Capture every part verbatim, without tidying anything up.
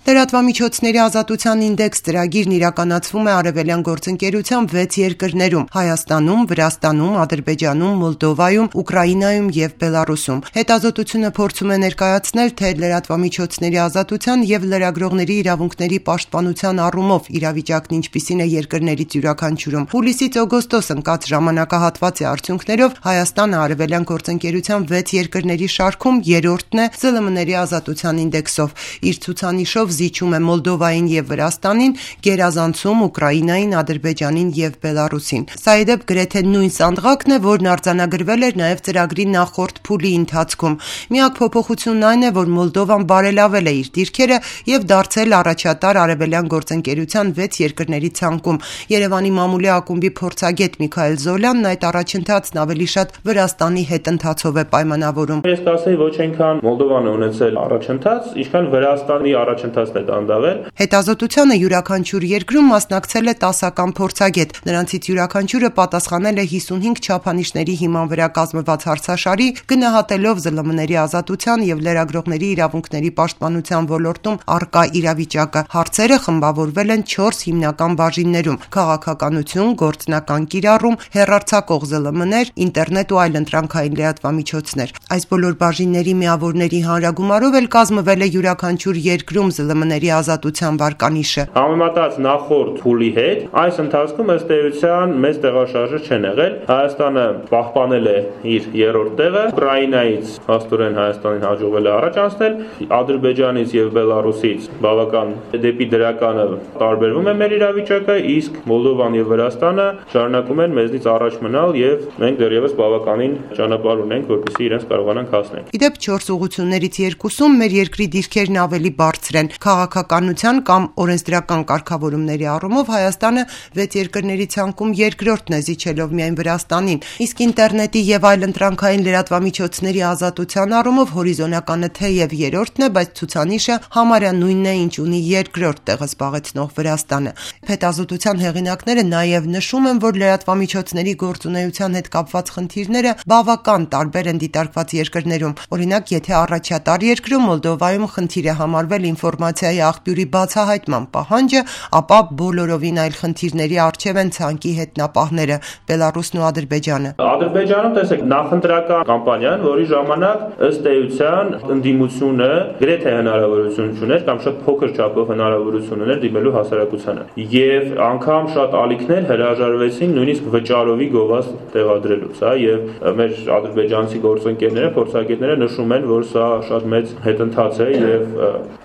Լրատվամիջոցների ազատության ինդեքս ծրագիրն իրականացվում է Արևելյան գործընկերության վեց երկրներում՝ Հայաստանում, Վրաստանում, Ադրբեջանում, Մոլդովայում, Ուկրաինայում և Բելառուսում։ Հետազոտությունը փորձում է ներկայացնել, թե լրատվամիջոցների ազատության և լրագրողների իրավունքների պաշտպանության առումով իրավիճակն ինչպիսին է երկրներից յուրաքանչյուրում։ Հուլիսից օգոստոս ընկած ժամանակահատվածի արդյունքներով Հայաստանը Արևելյան գործընկերության վեց երկրների շարքում երրորդն է ԶԼՄ-ների ազատության ինդեքսով։ Իր ցուցանիշով զիջում է Մոլդովային և Վրաստանին, գերազանցում Ուկրաինային, Ադրբեջանին և Բելառուսին։ Սա ի դեպ գրեթե նույն սանդղակն է, որն արձանագրվել էր նաև ծրագրի նախորդ փուլի ընթացքում։ Միակ փոփոխությունն այն է, որ Մոլդովան բարելավել է իր դիրքերը և դարձել առաջատար Արևելյան գործընկերության վեց երկրների ցանկում։ Երևանի մամուլի ակումբի փորձագետ Միքայել Զոլյանն այդ առաջընթացն ավելի շատ Վրաստանի հետընթացով է պայմանավորում։ Ես կասեի, ոչ այնքան Մոլդովան է ունեցել առաջընթաց, ինչքան Վրաստանի առաջընթացն է դանդաղել։ Հետազոտությանը յուրաքանչյուր երկրում մասնակցել է տասական փորձագետ։ Նրանցից յուրաքանչյուրը պատասխանել է հիսունհինգ չափանիշների հիման վրա կազմված հարցաշարի, գնահատելով ԶԼՄ-ների ազատության և լրագրողների իրավունքների պաշտպանության ոլորտում առկա իրավիճակը։ Հարցերը խմբավորվել են չորս հիմնական բաժիններում՝ քաղաքականություն, գործնական կիրառում, հեռարձակող ԶԼՄ-ներ, ինտերնետ ու այլ ընտրանքային լրատվամիջոցներ։ Այս բոլոր բաժինների միավորների հանրագումարով էլ կազմվել է յուրաքանչյուր երկրում ԶԼՄ-ների ազատության վարկանիշը։ Համեմատած նախորդ փուլի հետ, այս ընթացքում ըստ էության մեծ տեղաշարժը չեն եղել։ Հայաստանը պահպանել է իր երրորդ տեղը, Ուկրաինայից փաստորեն Հայաստանին հաջողվել է առաջ անցնել, Ադրբեջանից և Բելառուսից բավական դեպի դրականը տարբերվում է մեր իրավիճակը, իսկ Մոլդովան և Վրաստանը շարունակում են մեզնից առաջ մնալ և մենք դեռևս բավականին ճանապարհ ունենք, որպեսզի իրենց կարողանանք հասնել։ Ի դեպ չորս ուղղություններից երկուսում մեր երկրի դիրքերն ավելի բարձր են։ Քաղաքականության կամ օրենսդրական կարգավորումների առումով Հայաստանը վեց երկրների ցանկում երկրորդն է, զիջելով միայն Վրաստանին, իսկ ինտերնետի և այլ ընտրանքային լրատվամիջոցների ազատության առումով հորիզոնականը թեև երրորդն է, բայց ցուցանիշը համարյա նույնն է, ինչ ունի երկրորդ տեղը զբաղեցնող Վրաստանը։ Հետազոտության հեղինակները նաև նշում են, որ լրատվամիջոցների գործունեության հետ կապված խնդիրները բավական տարբեր են դիտարկված երկրներում։ Օրինակ, եթե առաջատար երկրում Մոլդովայում խնդիր է համարվել ինֆորմացիայի աղբյուրի բացահայտման պահանջը, ապա բոլորովին այլ խնդիրների առջև են ցանկի հետնապահները՝ Բելառուսն ու Ադրբեջանը։ Ադրբեջանում տեսեք նախընտրական կամպանիան, որի ժամանակ ըստ էության ընդդիմությունը գրեթե հնարավորություն չուներ կամ շատ փոքր չափով հնարավորություն ուներ դիմելու հասարակությանը։ Եվ անգամ շատ ալիքներ հրաժարվեցին նույնիսկ վճարովի գովազ տեղադրելուց, հա, եւ մեր ադրբեջանցի գործընկերները, փորձագետները նշում են, որ սա շատ մեծ հետընթաց է եւ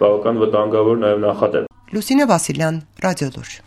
բավական վտանգավոր նաեւ նախադեպ։ Լուսինե Վասիլյան, Ռադիոլուր։